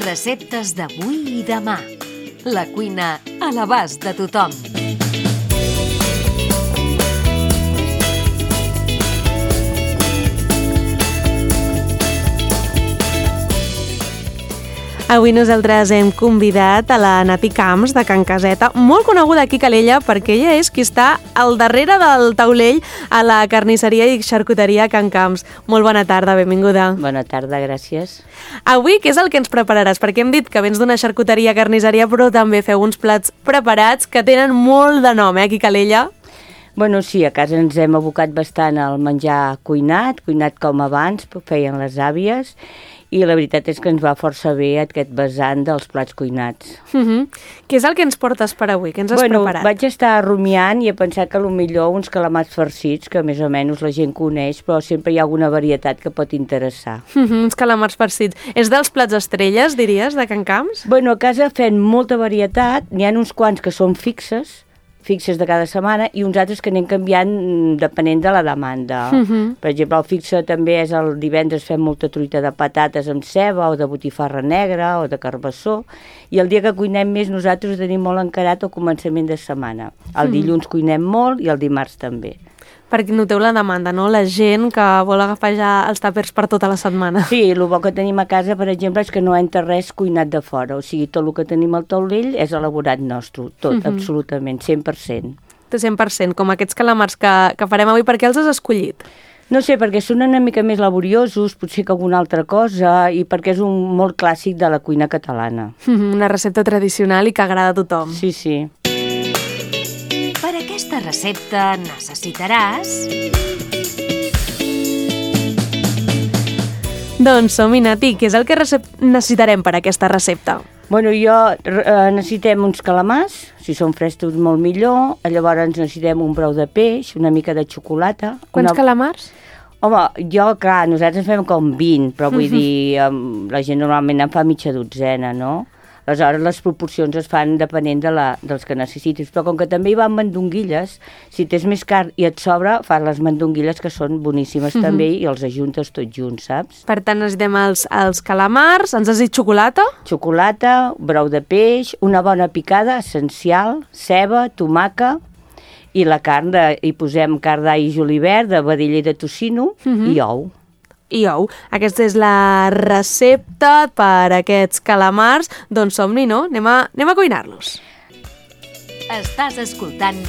Receptes d'avui i demà. La cuina a l'abast de tothom. Avui nosaltres hem convidat a la Nati Camps de Can Caseta, molt coneguda aquí a Calella perquè ella és qui està al darrere del taulell a la carnisseria i xarcuteria Can Camps. Molt bona tarda, benvinguda. Bona tarda, gràcies. Avui, què és el que ens prepararàs? Perquè hem dit que vens d'una xarcuteria carnisseria, però també feu uns plats preparats que tenen molt de nom, aquí a Calella. Bueno, sí, a casa ens hem abocat bastant al menjar cuinat com abans, feien les àvies, i la veritat és que ens va força bé aquest vessant dels plats cuinats. Què és el que ens portes per avui? Què ens has preparat? Vaig estar rumiant i he pensat que millor uns calamars farcits, que més o menys la gent coneix, però sempre hi ha alguna varietat que pot interessar. Uns calamars farcits. És dels plats estrelles, diries, de Can Camps? Bueno, a casa fem molta varietat, n'hi ha uns quants que són fixes de cada setmana, i uns altres que anem canviant depenent de la demanda. Per exemple, el fixe també és el divendres fem molta truita de patates amb ceba o de botifarra negra o de carbassó, i el dia que cuinem més nosaltres ho tenim molt encarat al començament de setmana. El dilluns cuinem molt i el dimarts també. Perquè noteu la demanda, no? La gent que vol agafar ja els tàpers per tota la setmana. Sí, el bo que tenim a casa, per exemple, és que no entra res cuinat de fora. O sigui, tot el que tenim al taulell és elaborat nostre. Tot, absolutament, 100%. 100%, com aquests calamars que farem avui. Per què els has escollit? No sé, perquè són una mica més laboriosos, potser que alguna altra cosa, i perquè és un molt clàssic de la cuina catalana. Una recepta tradicional i que agrada a tothom. Sí, sí. Per aquesta recepta necessitaràs... Doncs som-hi, Nati. Què és el que necessitarem per aquesta recepta? Bueno, necessitem uns calamars, si són frescos molt millor, llavors necessitem un brou de peix, una mica de xocolata... Quants calamars? Home, clar, nosaltres fem com 20, però vull dir, la gent normalment en fa mitja dotzena, no? Aleshores, les proporcions es fan depenent dels que necessitis. Però com que també hi van mandonguilles, si tens més carn i et sobra, fas les mandonguilles, que són boníssimes també, i els ajuntes tots junts, saps? Per tant, necessitem els calamars, ens has dit xocolata? Xocolata, brou de peix, una bona picada, essencial, ceba, tomàquet, i la carn, hi posem carn d'all i julivert, de vedella i de tocino, i ou. I ou. Aquesta és la recepta per aquests calamars. Doncs som-hi, no? Anem a cuinar-los. Estàs escoltant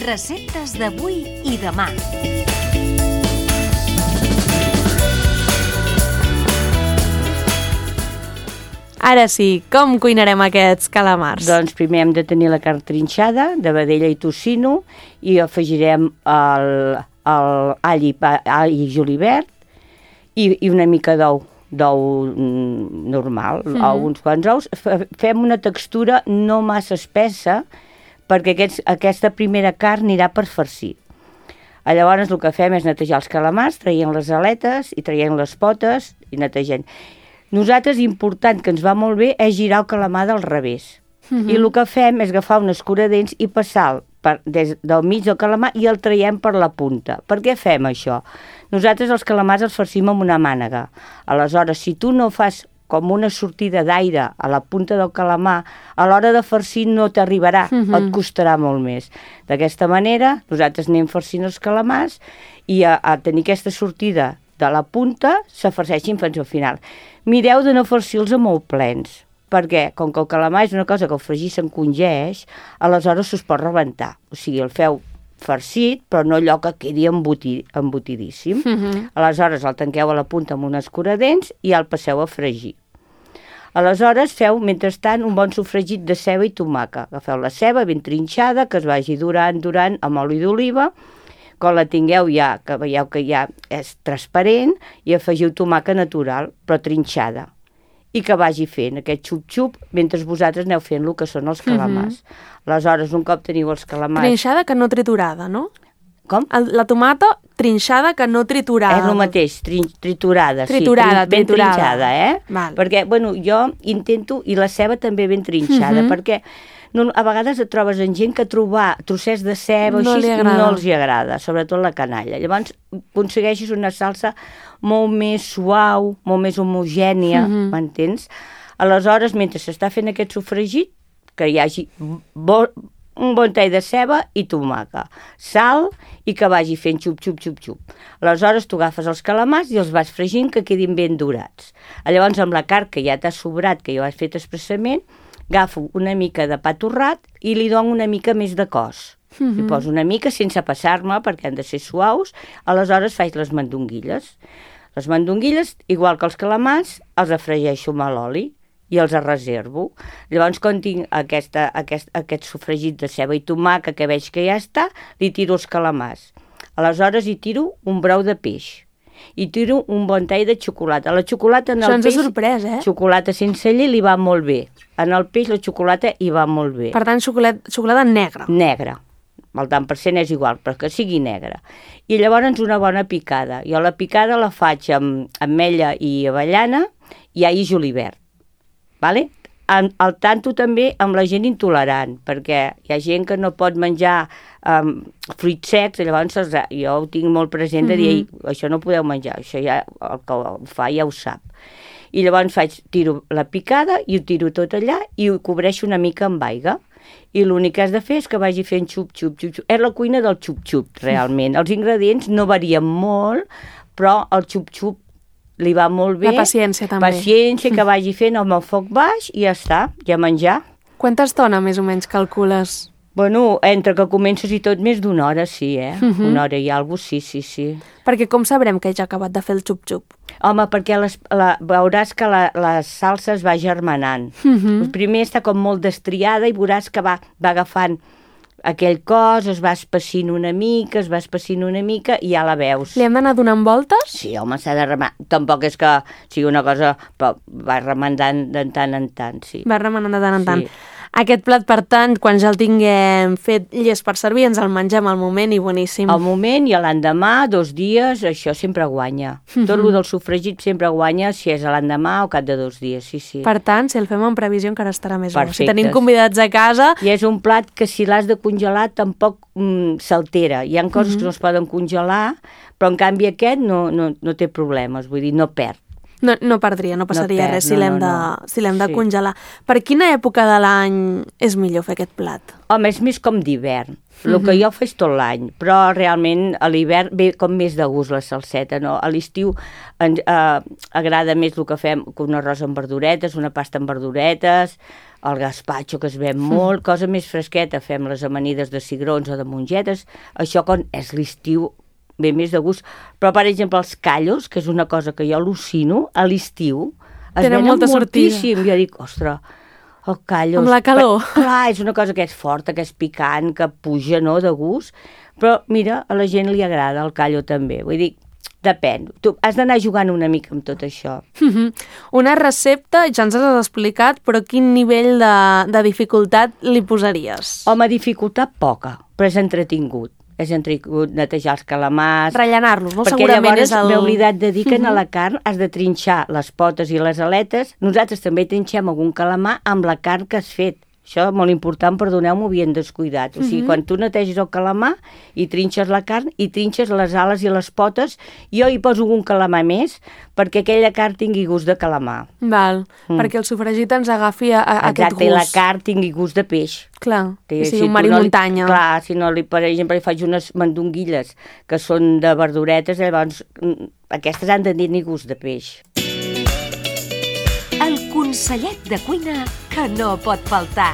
Receptes d'avui i demà. Ara sí, com cuinarem aquests calamars? Doncs primer hem de tenir la carn trinxada, de vedella i tocino, i afegirem all i julivert, i una mica d'ou normal, uns quants ous. Fem una textura no massa espessa, perquè aquesta primera carn anirà per farcir. Llavors el que fem és netejar els calamars, traient les aletes i traient les potes i netegant. Nosaltres, important, que ens va molt bé, és girar el calamar del revés. I el que fem és agafar un escuradents i passar des del mig del calamar i el traiem per la punta. Per què fem això? Nosaltres els calamars els farcim amb una mànega. Aleshores, si tu no fas com una sortida d'aire a la punta del calamar, a l'hora de farcir no t'arribarà, et costarà molt més. D'aquesta manera, nosaltres anem farcint els calamars i a tenir aquesta sortida de la punta, se farceixin fins al final. Mireu de no farcir-los molt plens, perquè com que el calamar és una cosa que el fregir s'encongeix, aleshores s'us pot rebentar. O sigui, el feu farcit, però no allò que quedi embotidíssim. Aleshores el tanqueu a la punta amb un escuradents i el passeu a fregir. Aleshores feu, mentrestant, un bon sofregit de ceba i tomàquet. Agafeu la ceba ben trinxada, que es vagi durant amb oli d'oliva. Quan la tingueu ja, que veieu que ja és transparent, i afegiu tomàquet natural, però trinxada. I que vagi fent aquest xup-xup mentre vosaltres aneu fent el que són els calamars. Aleshores, un cop teniu els calamars... Trinxada que no triturada, no? Com? La tomata trinxada que no triturada. És el mateix, triturada. Triturada, sí, ben trinxada, Val. Perquè, bueno, jo intento, i la ceba també ben trinxada, perquè a vegades et trobes en gent que trobar trossets de ceba no els agrada, sobretot la canalla. Llavors aconsegueixes una salsa molt més suau, molt més homogènia, m'entens? Aleshores, mentre s'està fent aquest sofregit, que hi hagi un bon tall de ceba i tomàquet, sal i que vagi fent xup, xup, xup, xup. Aleshores tu agafes els calamars i els vas fregint que quedin ben dorats. Llavors amb la carn que ja t'ha sobrat, que ja ho has fet expressament, agafo una mica de pa torrat i li dono una mica més de cos. Li poso una mica sense passar-me perquè han de ser suaus, aleshores faig les mandonguilles. Les mandonguilles, igual que els calamars, els afregeixo amb l'oli i els reservo. Llavors, quan tinc aquest sofregit de ceba i tomàquet que veig que ja està, li tiro els calamars. Aleshores hi tiro un brou de peix. I tiro un bon tall de xocolata. La xocolata en el peix... Això ens ha sorprès, Xocolata sense llet li va molt bé. En el peix la xocolata hi va molt bé. Per tant, xocolata negra. Negra. El tant per cent és igual, però que sigui negra. I llavors una bona picada. Jo la picada la faig amb ametlla i avellana i all i julivert. Vale? Al tanto també amb la gent intolerant, perquè hi ha gent que no pot menjar fruits secs, llavors jo ho tinc molt present de dir, això no podeu menjar, això ja el que ho fa ja ho sap. I llavors tiro la picada i ho tiro tot allà i ho cobreixo una mica amb aigua. I l'únic que has de fer és que vagi fent xup, xup, xup, xup. És la cuina del xup-xup, realment. Els ingredients no varien molt, però el xup-xup li va molt bé. La paciència, també. Paciència, que vagi fent amb el foc baix i ja està, ja menjar. Quanta estona més o menys calcules? Bueno, entre que comences i tot, més d'una hora, sí, Una hora i alguna cosa, sí. Perquè com sabrem que ja ha acabat de fer el xup-xup? Home, perquè veuràs que la salsa es va germanant. Primer està com molt destriada i veuràs que va agafant aquell cos, es va espessint una mica i ja la veus. Li hem d'anar donant voltes? Sí, home, s'ha de remenar. Tampoc és que sigui una cosa, però va remenant de tant en tant, sí. Va remenant de tant en tant. Aquest plat, per tant, quan ja el tinguem fet llest per servir, ens el mengem al moment i boníssim. Al moment i a l'endemà, 2 dies, això sempre guanya. Tot el del sofregit sempre guanya si és a l'endemà o cap de 2 dies, sí. Per tant, si el fem en previsió encara estarà més bo. Perfectes. Si tenim convidats a casa... I és un plat que si l'has de congelar tampoc s'altera. Hi ha coses que no es poden congelar, però en canvi aquest no té problemes, vull dir, no perd. No perdria, no passaria res si l'hem de congelar. Per quina època de l'any és millor fer aquest plat? Home, és més com d'hivern. El que jo faig tot l'any, però realment a l'hivern ve com més de gust la salseta, no? A l'estiu agrada més el que fem, un arròs amb verduretes, una pasta amb verduretes, el gazpacho, que es ven molt, cosa més fresqueta, fem les amanides de cigrons o de mongetes, això quan és l'estiu ve més de gust, però per exemple els callos, que és una cosa que jo al·lucino, a l'estiu es venen moltíssim. Jo dic, ostres, el callos... Amb la calor. Clar, és una cosa que és forta, que és picant, que puja, no?, de gust, però mira, a la gent li agrada el callo també, vull dir, depèn. Tu has d'anar jugant una mica amb tot això. Una recepta, ja ens has explicat, però quin nivell de dificultat li posaries? Home, dificultat poca, però és entretingut. És entretingut netejar els calamars... Rellenar-los, no? Perquè Segurament llavors és el... m'he oblidat de dir que a la carn has de trinxar les potes i les aletes. Nosaltres també trinxem algun calamar amb la carn que has fet. Això és molt important, perdoneu-m'ho, havien descuidat. O sigui, quan tu neteges el calamar i trinxes la carn i trinxes les ales i les potes, jo hi poso un calamar més perquè aquella carn tingui gust de calamar. Val, perquè el sofregit ens agafi aquest gust. Exacte, i la carn tingui gust de peix. Clar, que sigui un mar i muntanya. Clar, si no, per exemple, li faig unes mandonguilles que són de verduretes, llavors aquestes han de tenir gust de peix. El consellet de cuina que no pot faltar.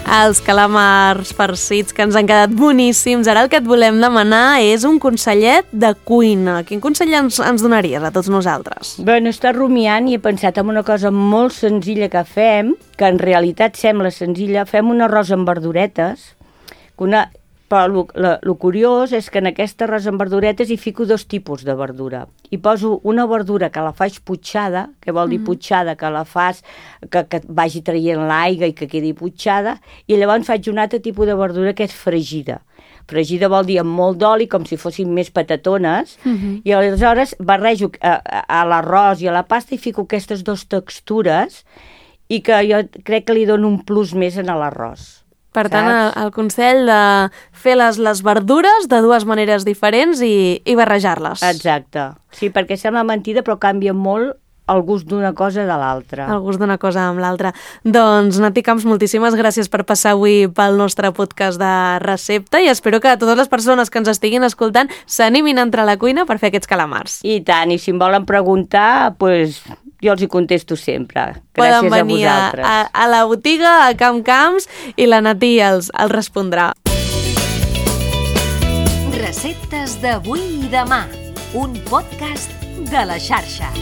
Els calamars farcits que ens han quedat boníssims. Ara el que et volem demanar és un consellet de cuina. Quin consell ens donaries a tots nosaltres? Bueno, està rumiant i he pensat en una cosa molt senzilla que fem, que en realitat sembla senzilla. Fem un arròs amb verduretes, però el curiós és que en aquest arròs amb verduretes hi fico 2 tipus de verdura. Hi poso una verdura que la faig putxada, que vol dir putxada, que la fas, que vagi traient l'aigua i que quedi putxada, i llavors faig un altre tipus de verdura que és fregida. Fregida vol dir amb molt d'oli, com si fossin més patatones, i aleshores barrejo a l'arròs i a la pasta i fico aquestes 2 textures i que jo crec que li dono un plus més en l'arròs. Per tant, el consell de fer les verdures de 2 maneres diferents i barrejar-les. Exacte. Sí, perquè sembla mentida, però canvia molt el gust d'una cosa de l'altra. El gust d'una cosa amb l'altra. Doncs, Nati Camps, moltíssimes gràcies per passar avui pel nostre podcast de recepta i espero que totes les persones que ens estiguin escoltant s'animin a entrar a la cuina per fer aquests calamars. I tant, i si em volen preguntar, doncs jo els hi contesto sempre. Gràcies Poden venir a vosaltres. a la botiga, a Camp Camps, i la Nati els respondrà. Receptes d'avui i demà. Un podcast de la xarxa.